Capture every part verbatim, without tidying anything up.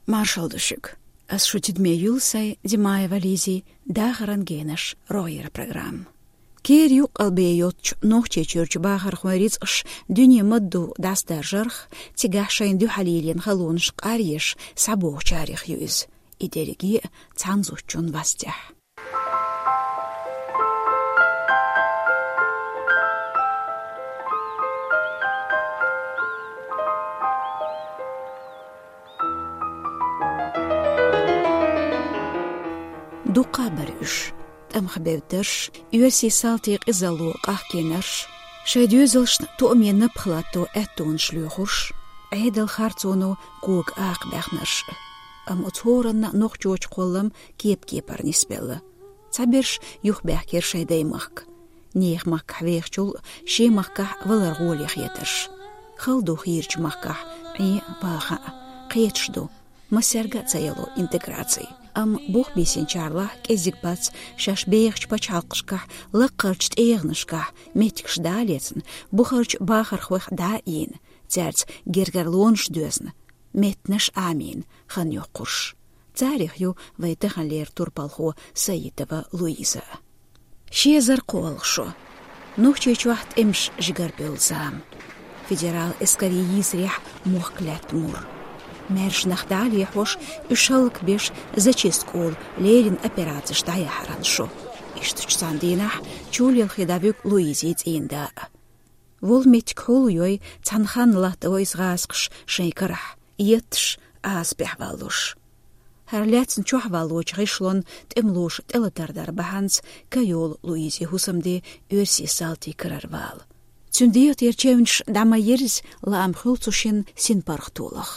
Маршалла ду шуьга. Ас шу тидаме юьллу сайн, Димаева Лизи, «Дахаран генаш» рогӀера программа. Кера юккъал бен йоцучу Нохчийчуьрчу бахархойн рицкъаш дуьне ма-дду дӀасадаржарх, цигахь шайна дуьхьал йиллина халонаш къаръеш схьабогӀучарех ю иза. И дерриге а цхьана зудчун вастехь. Дуккха а бара уьш: тӀамах бевддарш, оьрсийн салтийн къизалло къахкийнарш, шайн доьзалшна тоаме напха латто аьттонаш лоьхурш, Ӏедалан харцоно кога акха баьхнарш. Амма оцу хӀоранна нохчочун кхоллам кеп-кепара нисбелла. Цхьаберш юхабаьхкира шайн даймахка. Нехан махкахь вехачул шен махкахь валар гӀоле хетарш. Хала ду хийрачу махкахь Ӏен а, ваха а, кхеташ ду, массаьрга а ца яло интеграци. Амма бух бийсинчарлахь кӀезиг бац шаьш бехачу пачхьалкхашкахь, лакхарчу тӀегӀанашкахь меттигаш дӀа а лецна, бухарчу бахархойх дӀа а ийна, цаьрца гергарлонаш доьзна, меттанаш Ӏамийна хан йоккхурш. Царех ю вайн таханлера турпалхо Саитова Луиза. Ши эзар кхоалгӀа шо. Нохчийчохь тӀемаш жигара бевлла зама. Федералан эскарийн йийсарехь мохк лаьтта мур. Маьрша нах дӀа а лехьош, уьш хӀаллакбеш, зачистка олу леррина операцеш дӀаяхьаран шо. Иштачу цхьана дийнахь чулелхе дӀавуьгу Луизин цӀийнан да а. Волу меттиг хьулайой, цхьана ханна латтаво иза гӀазакхаш шайн карахь, етташ, Ӏазапехь валлуш. ХӀара лаьцна чохь валлочу гӀишлонна тӀемалоша тӀелатар дар бахьанца ка йолу Луизин хӀусамде оьрсийн салтийн карара вала. Цуьнан дегӀан тӀера чевнаш дӀа ма ерза, лаам хуьлу цу шинна синпаргӀатолах.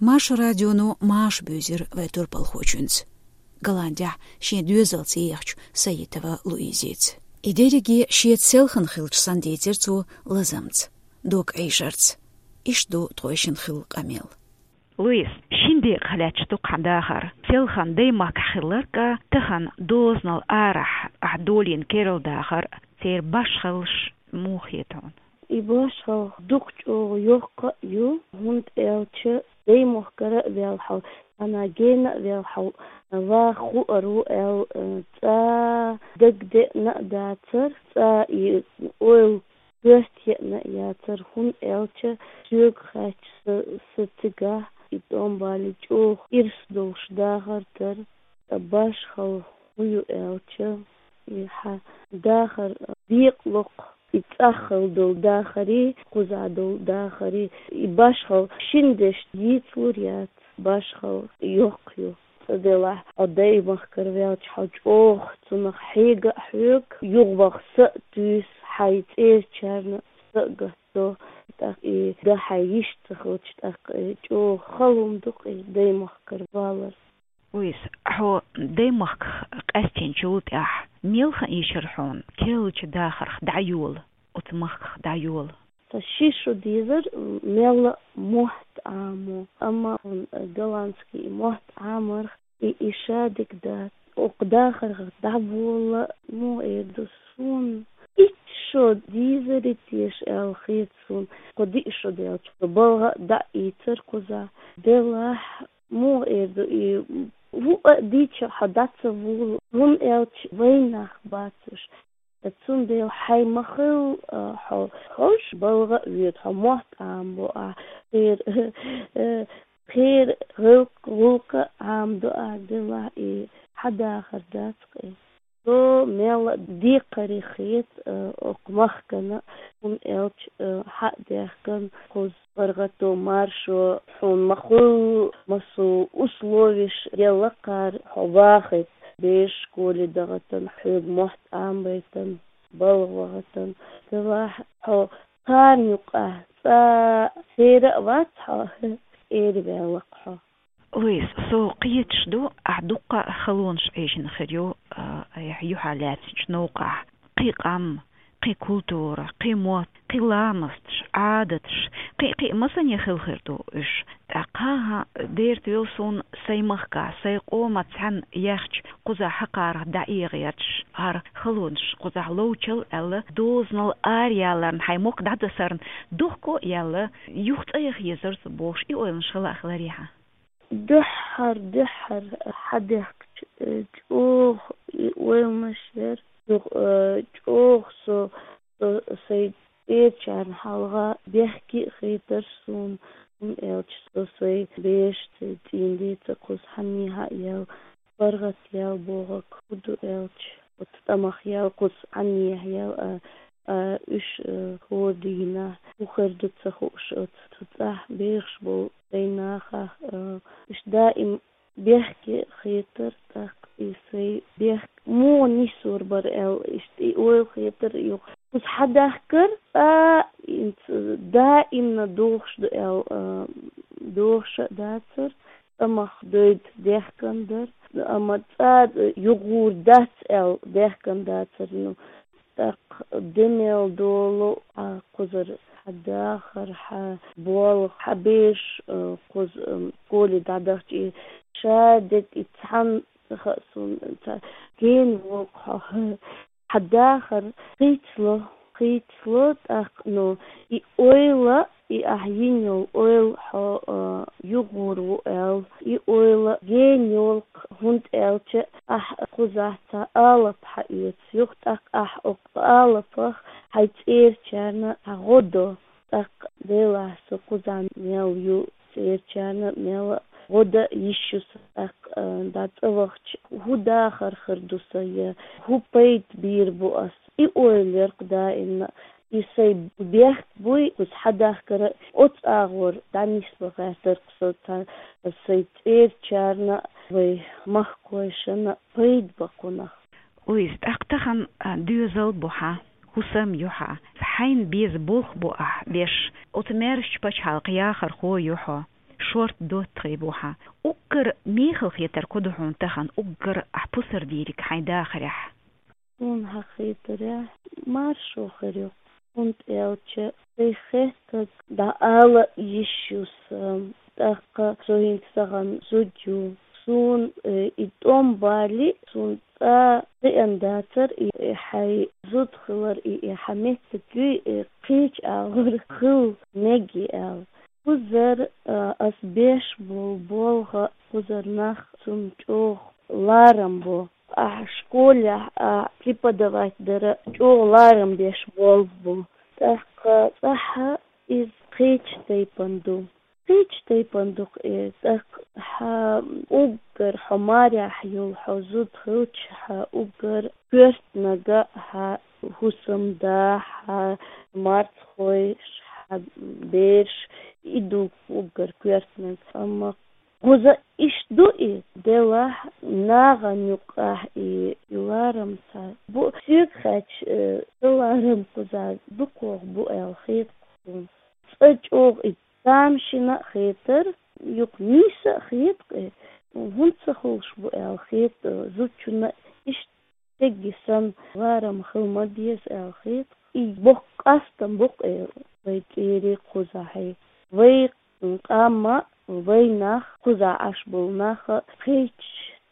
Маршо радионо маша буьйзира вайн турпалхочуьнца, Голландехь шен доьзалца ехачу Саитова Луизица. И дерриге шеца селхана хилча санна дийцира цо лазамца, дог Ӏийшарца. Иштта ду тхойшинна хилла къамел. Луиз, шина декъах лаьтташ ду-кх хьан дахар. Селхана даймахкахь хилларг а, тахана дозанал арахь ахь долийна керла дахар а, церан башхаллаш муха хета хьуна? И башхалла дукха чӀогӀа йоккха а ю, хӀунда аьлча даймахкара а ваьлла хьо, цхьана гена а ваьлла хьо, ваха хуур ву аьлла, цкъа дагадеана а дацара, цкъа и ойла коьрта еана а яцара, хӀунда аьлча соьга хаьттича, сан, сан цигахь и тӀом балийча чӀогӀа ирс долуш дахар дара. Ткъа башхалла хӀун ю аьлча, и хьан дахар декъалокх, и цӀаххалла долу дахарий, кхузахь долу дахарий, и башхалла шина дешна йийцалур яц, башхалла йоккха ю. Цкъа делахь, хьо даймахкара ваьлча, хьо чӀогӀа цунах хьега а хьоьгу, юхаваха са а туьйсу, хьайн цӀерачарна са а гатдо, тӀаккха и дан хьайн йиш ца хилча, тӀаккха и чӀогӀа хала хӀума ду-кх и даймахкара валар. Луиз, хьо даймахках къаьстинчул тӀаьхьа мел хан ийшира хьуна керлачу дахарх дӀайола, оцу махках дӀайола? Сан ши шо дезара мелла а мотт Ӏамо, амма хьуна голландский мотт Ӏамарх и, и шадерг дац. Окху дахарх дӀаволла, муха эр ду суна, итт шо дийзара теша аьлла хета суна. Кху диъ шо даьлча, балха а дӀа а ийцара кхузахь. Делахь, муха эр ду и, ву а дийча, хьо дӀа ца волу, хӀунда аьлча вайн нах бац уьш. Цундела хьайн ма-хиллара, а, хьо хьожуш балха а воьду, хьо мотт Ӏамабо ахь, кхера, э, кхера гӀуллакх, гӀуллакх а Ӏамадо ахь, делахь и хьан дахар дац-кх и. Со мелла а декхаре хета, э, окху махкана, хӀунда аьлча, э, хьа а даьхкина кхуза паргӀато, маршо, хьуна ма-хуьллу массо условиш елла кхара хьо вахийта, бераш школе дахийтина, хьоьга мотт Ӏамабайтина, балха вахийтина. Делахь хьо кхарна юкъахь цкъа церан а вац хьо, эр ваьлла-кх хьо. Луиз, со кхеташ ду, ахь дуккха а халонаш Ӏийшина хир ю, а, айхьа юьхьа лаьцначу новкъахь. Кхин къам, кхин культура, кхин мотт, кхин ламасташ, Ӏадаташ, кхин, кхин масане хилла хир ду уьш. ТӀаккха хӀан дерта вилла суна сайн махка, сайн къоман цхьаьна яьхча, кхузахь хьакхарах дӀаэгӀа гӀерташ, хӀара халонаш кхузахь ловчал аьлла, дозанал араяьлларна, хьайн мохк дӀадасарна дохко а яьлла, юха цӀа яха езара со бохуш, и ойланаш хила а хиларий хьан? Дуьххьара, дуьххьара хьадехкача, э, чӀоагӀа и ойланаш яр. Юха, э, чӀоагӀа со, со сай цӀерачарна хьалха бехке а хетар суна, хӀунда аьлча со сай берашца цӀийндеца кхуза хьанехьа яьлла, паргӀатъяьлла бохург фу ду аьлча, оцу тӀамах яьлла, кхуза хьанехьа яьлла, а, а, уьш, а, хӀора дийнахьа хӀун хир ду ца хууш оцу цу цӀахь бехаш болу сайн нахах, а, уьш даим бехке хетар, тӀаккха и сайн бехк муха нисвар бара аьлла, иштта и ойла хетар юха. Кхуза хьадахкар, цкъа хӀинца даимна дохуш ду аьлла, а, дохуш а дацар, тӀамах дойда дехкан дара, амма цкъа юхагӀур дац аьлла дехкан дацар. Ну, тӀаккха де мел долу хьан кхузара хьан дахар, хьан болх, хьан бераш, а, кхуза, м, школе дӀадахча, и ша дерг и цхьанна хаьа суна, ца гена волу хьо, хьан дахар хийцало, хийцало, тӀаккха, ну, и ойла, и ахь йина йолу ойла хьо, а, юхагӀур ву аьлла, и ойла гена йолу, хӀунда аьлча ахь кхузахь цхьа алапа хьаэца, юха тӀаккха ахь оцу алапах хьайн цӀерачарна хьан гӀо до. ТӀаккха делахь со кхузахь мел ю, цӀерачарна мел гӀо дан йиш ю сан, тӀаккха, а, дӀа цӀа вахча, хӀун дахар хир ду сан, я хӀун пайда бийр бу ас? И ойла яр-кх даимна. И сайн бехк буй, кхуза хьадахкара, оцу агӀор дӀанисбан гӀертар-кх со цхьа сайн цӀерачарна, вай махкахойшна пайда бан кхунах. Луиза, тӀаккха тахана, а, доьзал бу хьан, хӀусам ю хьан, хьайна беза болх бу ахь беш, оцу маьршачу пачхьалкхан яхархо ю хьо, шортта доттагӀий бу хьан. Уггар мехала хетарг хӀун ду хьуна тахана, уггар ахь пусар дийриг хьайн дахарехь? Суна хьан хетарехь, маршо хир ю, хӀунда аьлча сайн хеттарг дӀаала йиш ю сан, тӀаккха со хӀинца тахана зуда ю. Суна, э, и тӀом бале, суна цкъа хиъна дацар и, и хьайн зуда хилар, и, и хьан меттиг юй, и кхечу агӀор хила мегий аьлла. Кхузара, а, ас беш болу болх, кхузара нах цунна чӀогӀа ларам бо. Ахь школехь, а, преподавать дара чӀогӀа ларам беш болх бу. ТӀаккха цкъа хьан иза кхечу тайпана ду. Кхечу тайпана ду-кх и, тӀаккха хьан уггар хьо марехь йолу хьо зуда хилча, хьан уггар коьртаниг, хьан хӀусамда, хьан марцахой, хьан бераш, и ду уггар коьртаниг. Амма кхуза иштта ду и, делахь нахана юккъехь и, и ларам ца бу. Соьга хаьттича, э, сан ларам кхуза дукхох бу аьлла хета-кх суна. Цкъа чӀогӀа и тамашийна а хетара, юха нийса а хета-кх и, хӀунда ца хуьлуш бу аьлла хета, зудчунна иштта стеган санна ларам хила ма деза аьлла хета. И боккха къастам бу-кх и вай цӀерийн кхузахь. Вай къам а, вай нах а, кхузахь Ӏаш болу нах а кхечу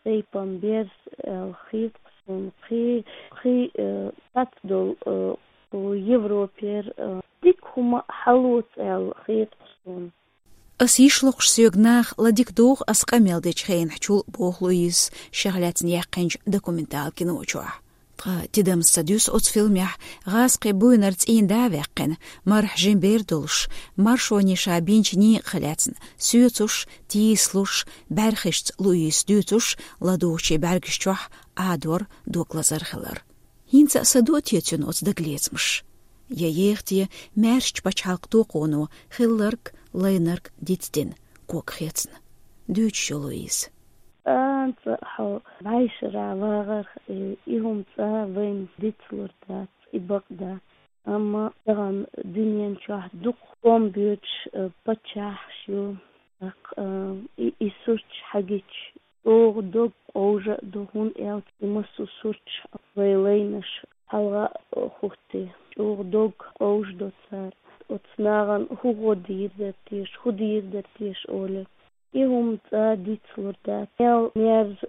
тайпана берза аьлла хета-кх суна, кхин, кхин, э, цхьацца долу, э, Европера, э, дика хӀума хьалоцу аьлла хета-кх суна. Ас йиш локхуш соьга наха ладика догӀу ас къамел дечу хенахь чул, боху Луизас шех лаьцна яьккхинчу документал кино чохь. Ткъа тидамца ца дуьсу оцу фильмехь гӀазкхи буйнара цӀийнда а ваьккхина, мархьа жима бер долуш, маршоне ша бинчу некъах лаьцна соьцуш, тийсалуш, бӀаьрхишца Луизас дуьйцуш, ладугӀучийн бӀаьргаш чохь Ӏадор, дог лазар хилар. ХӀинца а са дуа те цуьнан оцу дагалецамаш? Я еха те маьршачу пачхьалкхан токхоно хилларг, лайнарг дицдина, ког хецна? Дуьйцуш ю Луиза. КӀанца хьо бӀешарахь вагӀарх, и, и хӀума цкъа вайна дицлур дац, и бакъ дац. Амма тахана дуьнен чохь дукха къам боьдуш, э, паччахьаш ю. ТӀаккха, э, и, и сурташ хьагича, чӀогӀа дог къовжа а ду, хӀунда аьлча и массо а сурташ вай лайнаш хьалха а хӀуттий, чӀогӀа дог къовжадо цара. Оцу нахана хӀун гӀо дийр дара теша, хӀун дийр дара теша олий. И хӀума цкъа дицлур дац. Мел мерза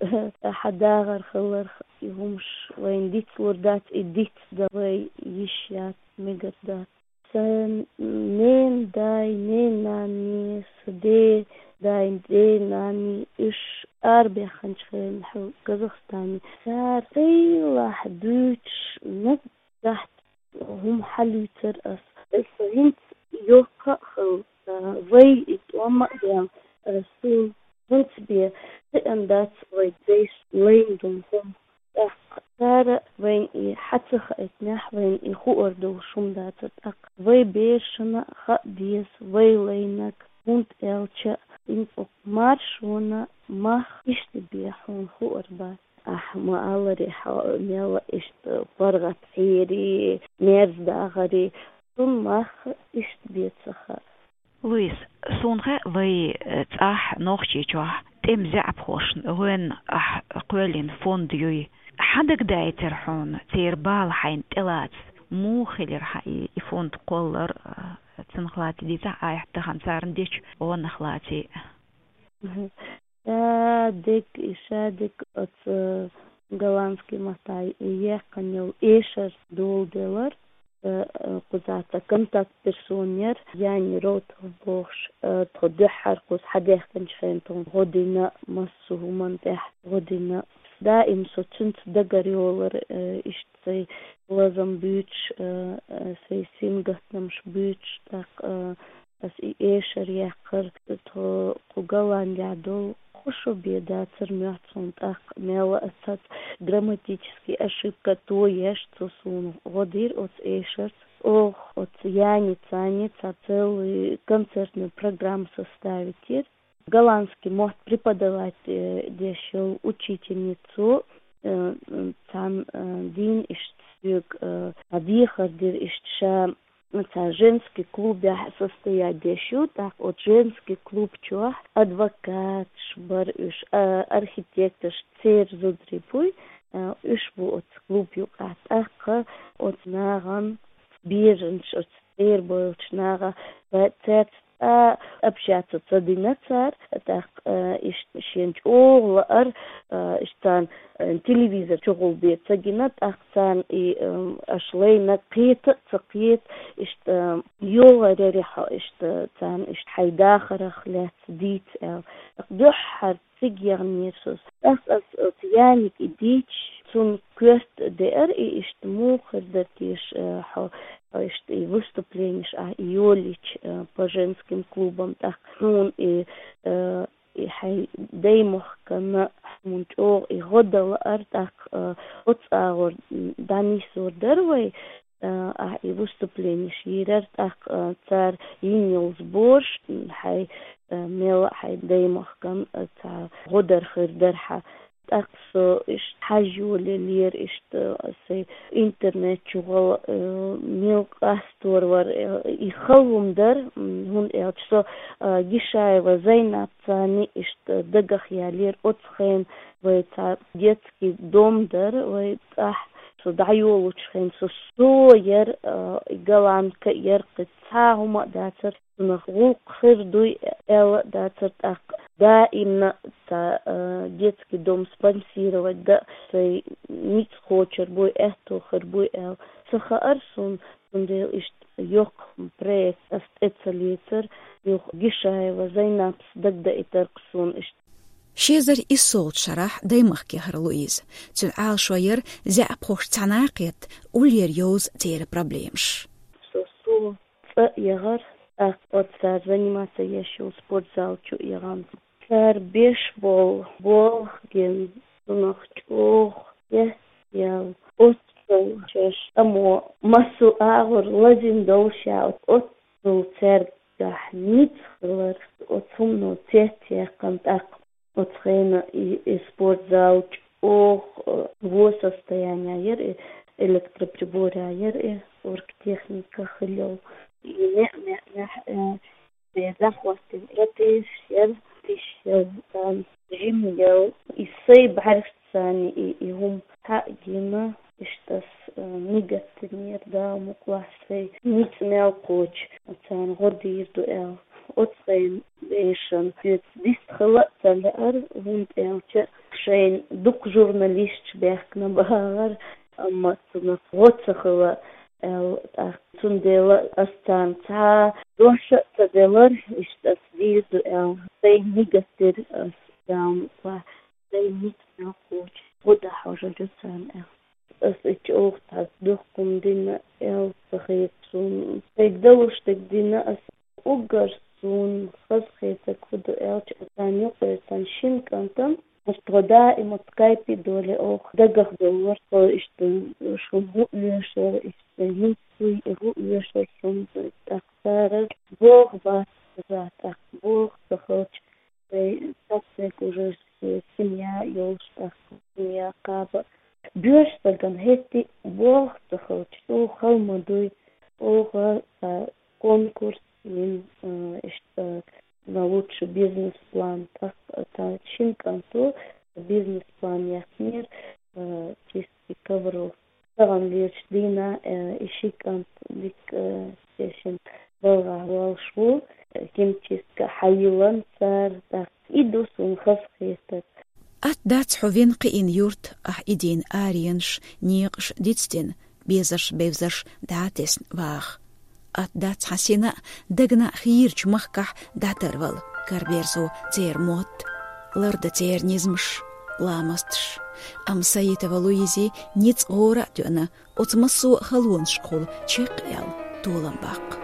хьан дахар хиларх, и хӀумаш вайна дицлур дац, и дицдан вай йиш яц, мегар дац. Сан ненан дай, ненан нанне, сан ден Даим ден-нанас уьш арабаьхначу хенахь Казахстане. Цара хилахь дуьйцуш нагахь хӀума хьалуьйцура ас. Ас хӀинца йоккха а хилла, вай и тӀом а ден, суна хӀинца бен хиъна дац вай дайша лайна долу хӀума. ТӀаккха цара вайна и хьа ца хаийтинехь, вайна и хуур долуш хӀума дацара. ТӀаккха вай берашна а хаа деза вай лайнарг, хӀунда аьлча хӀинца оцу маршонан мах иштта бен хьуна хуур бац. Ахь ма-аллара, хьо мел иштта паргӀатхьийрий, мерза дахарий, цунна мах иштта бен ца хаьа. Луиз, суна хаьа, вай, э, цӀахь Нохчийчохь тӀеман заьӀапхошна гӀоьнна ахь кхоьллина фонд юй. Хьан дагадайтира хьуна церан бала хьайна тӀелаца? Муха хилира хьан и, и фонд кхоллар, э, цунах лаций дийцахь, айхьа тахана царна дечу гӀонах лаций? Мгм. Ша дерг, и ша дерг оцу голландский маттахь яьккхина йолу эшар доладелира, э, э, кхузахь цхьа контакт персона яра, Яни Роутов бохуш, э, тхо дуьххьара кхуза хьадаьхкинчу хенахь тхуна гӀо дина, массо а хӀуманна тӀехь гӀо дина. Даим со цуьнца дагар йолура, э, иштта сайн лазам буьйцуш, э, э, сайн сингаттамаш буьйцуш, тӀаккха, э, ас и эшар яьккхира, тхо кху Голландехь долу, кху шо бен дацара моьтту суна, тӀаккха мел а цхьацца грамматический ошибка тоеш, цо суна гӀо дира оцу эшарца. Оха оцу Яни царна цхьа целый концертный программа составить йира. Голландский мотт преподавать, э, деш йолу учительницу, э, царна, э, дийна иштта соьга, э, цхьа дехар дира, иштта ша цхьа женский клубехь состоять деш ю, тӀаккха оцу женский клуб чохь адвокаташ бара уьш, а, архитекторш, церан зударий буй, а, уьш бу оцу клуб юкъахь. ТӀаккха оцу нахана беранаш, оцу церан бевллачу наха, ва цаьрца а, общаться ца дина цара, тӀаккха, а, иштта шена чӀогӀа лаара, а, иштта царна, а, телевизор чухула бен ца гина, тӀаккха царна и, ам, аша лайнарг кхета а ца кхета, иштта, а, йогӀур яра хьо, иштта, царна иштта хьайн дахарах лаьцна дийца аьлла. ТӀаккха дуьххьара цига яханера со. ТӀаккха ас оцу Янига и дийцча, цунна коьрта деара и, иштта муха хир дара теша, э, хьо, хьо иштта и выступленеш ахь и йолийча, э, по женским клубам, тӀаккха хьуна и, э, и хьайн даймахкана хьуна чӀогӀа и гӀо дан лаара, тӀаккха, э, оцу агӀор, м, дӀанисдор дара вай, а, ахь и выступленеш йийрара, тӀаккха, а, цара йина йолу сбораш, м, хьайн, а, мел а хьайн даймахкана, а, цхьа гӀо дар хир дара хьан. ТӀаккха со иштта хьажа йолаеллера, иштта, а, сайн интернет чухула, а, мел къастор вара, а, и хала хӀума дара, м, хӀунда аьлча со, а, Гишаева Зайнап царна иштта дагах яьллера оцу хенахь, вай цхьа детский дом дара, вай цӀахь со дӀайолучу хенахь со, со яра, а, и голландка яра, кхин цхьа хӀума а дацара, цунах гӀуллакх хир дуй аьлла а дацара, тӀаккха даимна цхьа, а, детский дом спонсировать дан сайн ницкъ кхочур буй, аьтто хир буй аьлла ца хаьара суна, цундела иштта йоккха проект ас тӀе ца лецара, юха Гишаева Зайнапс дагадейтар-кх суна иштта. Ши эзар иссолгӀачу шарахь даймахкахь яра Луиза. Цуьнан Ӏалашо яра заьӀапхошца цхьаьна кхетта, уллера йовза церан проблемаш. Со, со цӀа а яхара, тӀаккха оцу цара заниматься еш йолу спортзал чу а яхана. Цара беш болу болх гина, цунах чӀогӀа хьестаяьлла. Оццул шаьш тӀамо массо а агӀор лазийна долуш, оццул цаьргахь ницкъ хилар, оцу хӀумано цецъяьккхина тӀаккха. Оцу хенахь и, и спортзал чӀогӀа, э, во состояние яра и, электроприбораш яра и, оргтехника хилла йолу. И неӀ-неӀ-неӀ, э, бен захватим протезаш яра, тиша яра, э, жим яра. И сайн бӀаьргашца и, и хӀума схьа а гина, иштта ас, э, мигаттинера, Дала мукъалахь, сайн ницкъ мел кхочу, царна гӀо дийр ду аьлла. Оцу хенахь бешан соьца дистхила а ца лаьара, хӀунда аьлча шайна дукха журналисташ баьхкина бахара, амма цунах гӀо ца хила, аьлла, тӀаккха цундела ас царна цхьа дош а ца делар, иштта ас дийр ду аьлла, сайн нигат дир ас, аьлла, цхьа сайн ницкъ мел кхочуш, гӀо дӀахьожур ю царна аьлла. Ас ичча оха цхьа духкум дина аьлла ца хета суна. Сайга далуш дерг дина ас, уггар суна хазахетарг фу ду аьлча, царна юкъера цхьан шин кӀантан, иштта тхо даим оцу скайпе долий оха, дагах долура тхо, иштта шуна хӀун оьшу, иштта хӀинца хӀун оьшу шуна, тӀаккха цара боху бац, тӀаккха боху ца хилча, вай цхьацца уже семья йолуш, тӀаккха семья кхаба. Боьрша стагана хӀетте а боху ца хилча, чӀогӀа хала ма дуй, оха цхьа конкурс йина, а, иштта на лучший бизнес-план. ТӀаккха цхьа шина кӀанто бизнес-план яьккхинера, а, чистки ковров. Тахана лелачу дийнахь, э, и ши кӀант дика, э, шен балхахь волуш ву, э, химчистка хьайиллина цара, тӀаккха и ду суна хазахетарг. Атта дац хьо вина кхиъна юрт, ахь идийна аренаш, некъаш дицдина, безарш-бевзарш дӀа а тесна ваха. Атта дац хьан сина а, дагна а хийрачу махкахь дӀатарвала, караберзо церан мотт, лардан церан низамаш, ламасташ. Амма Саитова Луизин ницкъ гӀора а тоьъна, оцу массо а халонашкахула чекхъяла толам баккха.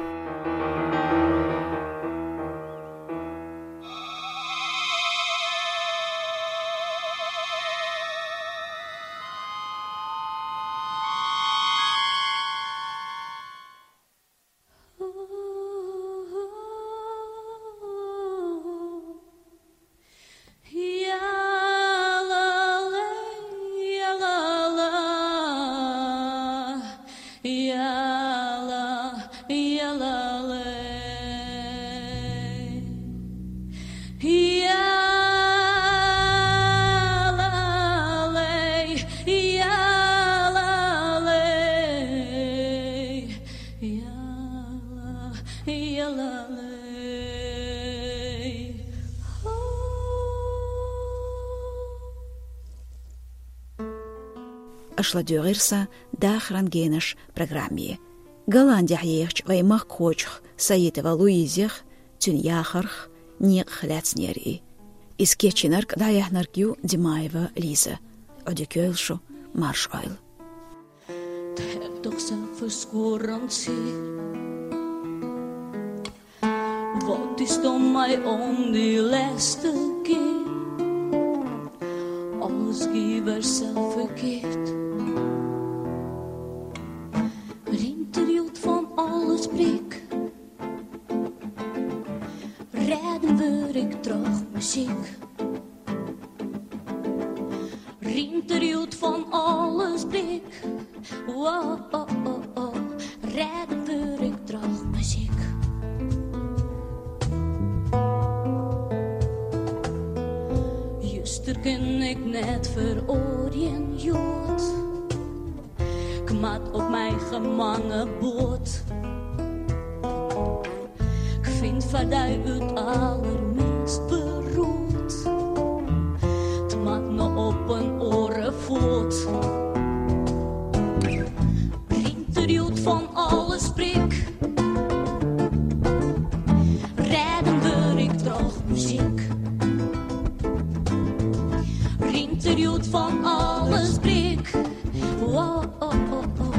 Аша ладуьйгӀира сан «Дахаран генаш» программе. Голландехь ехачу вайн махкахочух Саитова Луизех, цуьнан яхарх некъах лаьцнера и. Иза кечйинарг а, дӀаяьхьнарг а ю Димаева Лиза. Ӏодика йойла шу, марша Ӏойла. Wat is dan mij om die les te geven? Alles geeft er zelf verkeerd. Rinterjoet van alles breek. Redden wil ik terug muziek. Rinterjoet van alles breek. Wow, oh, oh, oh. Redden wil ik terug muziek. Juster ken ik net veroordeeld jood. Kmat op mij gemangen boord. Ik vind Verdui het allerminst beroerd. Het maakt me op een oren voort. Rinterjoet van alles prik. Redden wil ik terug muziek. Rinterjoet van alles prik. Wow, oh, oh, oh.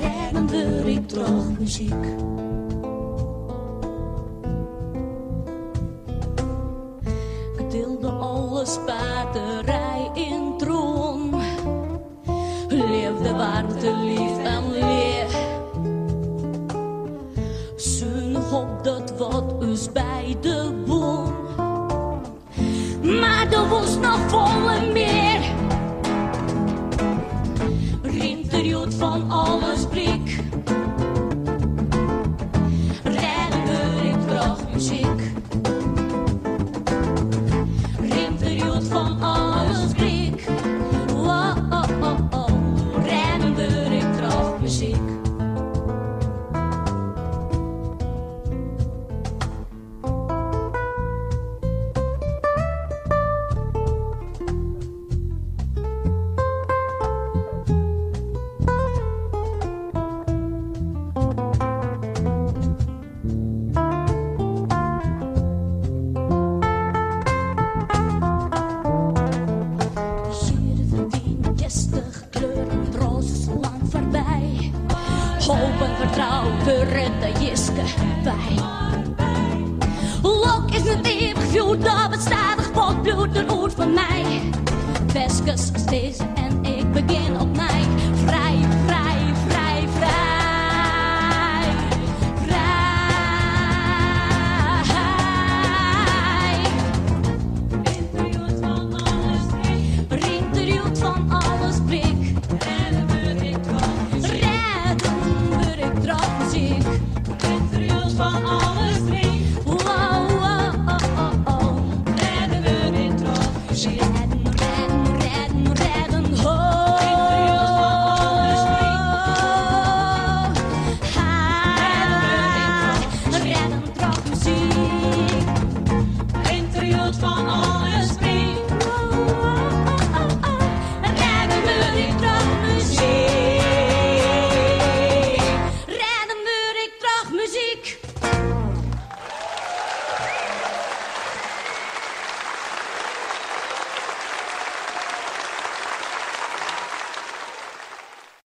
Redden wil ik terug muziek. Ik deelde alle spaterij in troon. Leefde warmte, lief en leer. Zunig op dat wat ons bij de boom. Maar er was nog volle meer. Rinterjoet van alles prik. Redden wil ik terug muziek. Rinterjoet van alles prik. Wow, oh, oh, oh. Redden wil ik terug muziek. Trouw, Beretta, Jiske, bij. Lok is net eeuwig vuur, dat bestaat, de spot bloedt er oer van mij. Veskes als deze en ik begin opnieuw. Vrij, vrij, vrij, vrij, vrij. Rinterjoet van alles blik. Redden we ik trok muziek. Rinterjoet van alles blik. Wow, oh, oh, oh, oh. Redden we ik trok muziek.